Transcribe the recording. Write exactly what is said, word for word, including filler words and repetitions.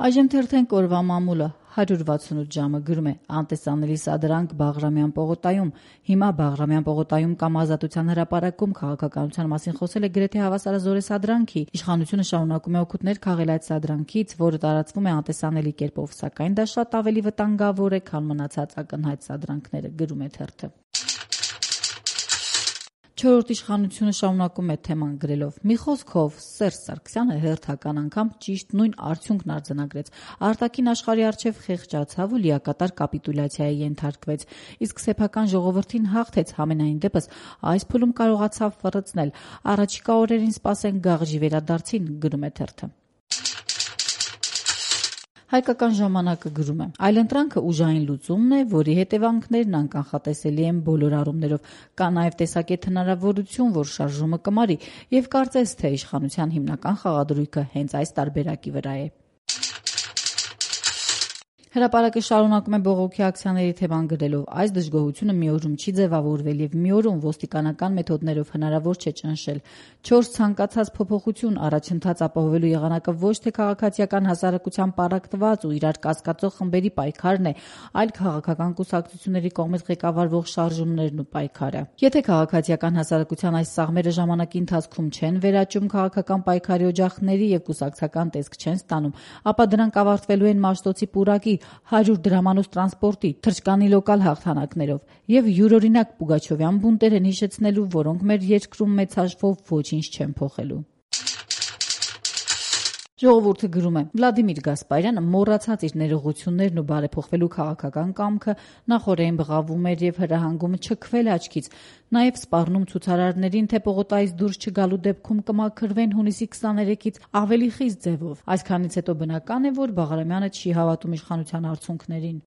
Այժմ թերթենք օրվա մամուլը հարյուր վաթսունութ ժամը գրում է անտեսանելի սադրանք Բաղրամյան պողոտայում։ Հիմա Բաղրամյան պողոտայում կամ Ազատության հրապարակում քաղաքականության մասին խոսել է գրեթե հավասարազոր է սադրանքի։ Իշխանությունը շարունակում է օգուտներ քաղել այդ սադրանքից, որը տարածվում է անտեսանելի կերպով, սակայն դա շատ ավելի վտանգավոր է, քան մնացած ակնհայտ սադրանքները, գրում է թերթը։ Չորրորդ իշխանությունը շարունակում է թեման գրելով. մի խոսքով Սերժ Սարգսյանը հերթական անգամ ճիշտ նույն արդյունքն արձանագրեց։ Արտաքին աշխարհի առջև խեղճացավ ու լիակատար կապիտուլյացիայի ենթարկվեց, իսկ սեփական ժողովրդին հաղթեց, համենայն դեպս այս փուլում կարողացավ ֆռցնել։ Առաջիկա օրերին սպասենք գաղժի վերադարձին, գրում է թերթը։ Հայկական ժամանակը գրում է. այլընտրանքը ուժային լուծումն է, որի հետևանքներն անկանխատեսելի են բոլոր առումներով։ Կա նաև տեսակետ հնարավորություն, որ շարժումը կմարի, եւ կարծես թե իշխանության հիմնական խաղադրույքը հենց այս տարբերակի վրա է։ Հրապարակը շարունակում է բողոքի ակցիաների թեման գրելով. այս դժգոհությունը մի օրում չի ձևավորվել եւ մի օրում ոստիկանական մեթոդներով հնարավոր չէ ճնշել։ Չորս ցանկացած փոփոխություն առաջընթաց ապահովելու եղանակը ոչ թե քաղաքացիական հասարակության պառակտված ու իրար կասկածող խմբերի պայքարն է, այլ քաղաքական կուսակցությունների կողմից ղեկավարվող շարժումներն ու պայքարը։ Եթե քաղաքացիական հասարակության այս սաղմերը ժամանակի ընթացքում չեն վերաճում քաղաքական պայքարի օջախների եւ կուսակցական տեսք չեն ստանում, ապա դրանք ավարտվելու են Մաշտոցի պուրակի, հարյուր դրամանոց տրանսպորտի, թռչկանի լոկալ հաղթանակներով եւ յուրօրինակ Պուգաչովյան բունտեր են հիշեցնելու, որոնք մեր երկրում մեծ հաշվով ոչինչ չեն փոխելու։ Ժողովուրդը գրում է. Վլադիմիր Գասպարյանը մոռացած իր ներողություններն ու բարեփոխվելու քաղաքական կամքը նախօրեն բղավում էր եւ հրահանգում չքվել աչքից, նաեւ սպառնում ցուցարարներին, թե պողոտայից դուրս չգալու դեպքում կմաքրվեն հունիսի քսաներեքից ավելի խիստ ձևով։ Այսքանից հետո բնական է, որ Բաղրամյանը չի հավատում իշխանության արդյունքներին։